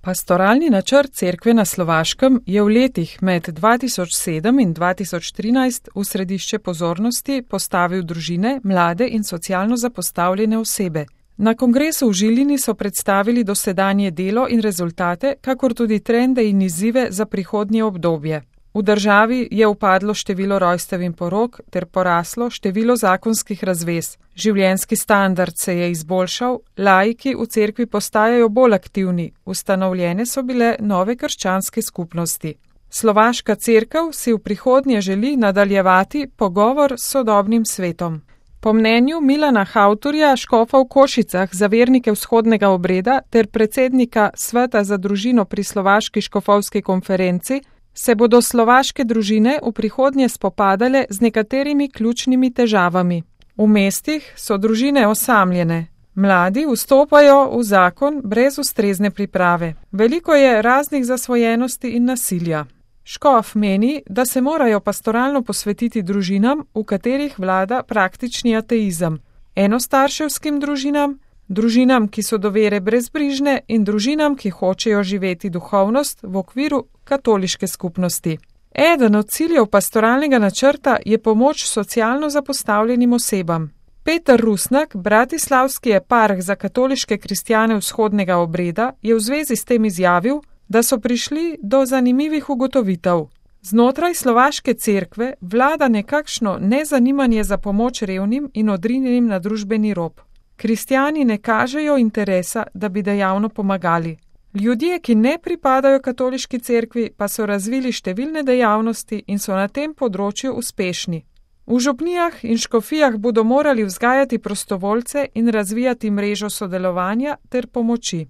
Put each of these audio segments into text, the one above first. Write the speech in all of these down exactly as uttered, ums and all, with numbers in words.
Pastoralni načrt Cerkve na Slovaškem je v letih med dva tisoč sedem in dva tisoč trinajst v središče pozornosti postavil družine, mlade in socialno zapostavljene osebe. Na kongresu v Žilini so predstavili dosedanje delo in rezultate, kakor tudi trende in izzive za prihodnje obdobje. V državi je upadlo število rojstev in porok ter poraslo število zakonskih razvez. Življenjski standard se je izboljšal, laiki v cerkvi postajajo bolj aktivni, ustanovljene so bile nove krščanske skupnosti. Slovaška cerkev si v prihodnje želi nadaljevati pogovor s sodobnim svetom. Po mnenju Milana Hautorja, škofa v Košicah za vernike vzhodnega obreda ter predsednika Sveta za družino pri Slovaški škofovski konferenci, se bodo slovaške družine v prihodnje spopadale z nekaterimi ključnimi težavami. V mestih so družine osamljene. Mladi vstopajo v zakon brez ustrezne priprave. Veliko je raznih zasvojenosti in nasilja. Škof meni, da se morajo pastoralno posvetiti družinam, v katerih vlada praktični ateizem, enostarševskim družinam, družinam, ki so do vere brezbrižne in družinam, ki hočejo živeti duhovnost v okviru katoliške skupnosti. Eden od ciljev pastoralnega načrta je pomoč socialno zapostavljenim osebam. Peter Rusnak, bratislavski eparh za katoliške kristjane vzhodnega obreda, je v zvezi s tem izjavil, da so prišli do zanimivih ugotovitev. Znotraj slovaške cerkve vlada nekakšno nezanimanje za pomoč revnim in odrinjenim na družbeni rob. Kristjani ne kažejo interesa, da bi dejavno pomagali. Ljudje, ki ne pripadajo katoliški cerkvi, pa so razvili številne dejavnosti in so na tem področju uspešni. V župnijah in škofijah bodo morali vzgajati prostovoljce in razvijati mrežo sodelovanja ter pomoči.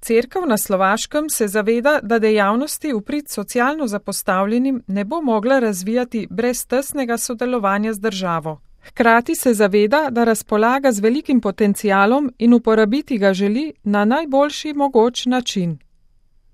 Cerkev na Slovaškem se zaveda, da dejavnosti v prid socialno zapostavljenim ne bo mogla razvijati brez tesnega sodelovanja z državo. Hkrati se zaveda, da razpolaga z velikim potencialom in uporabiti ga želi na najboljši mogoč način.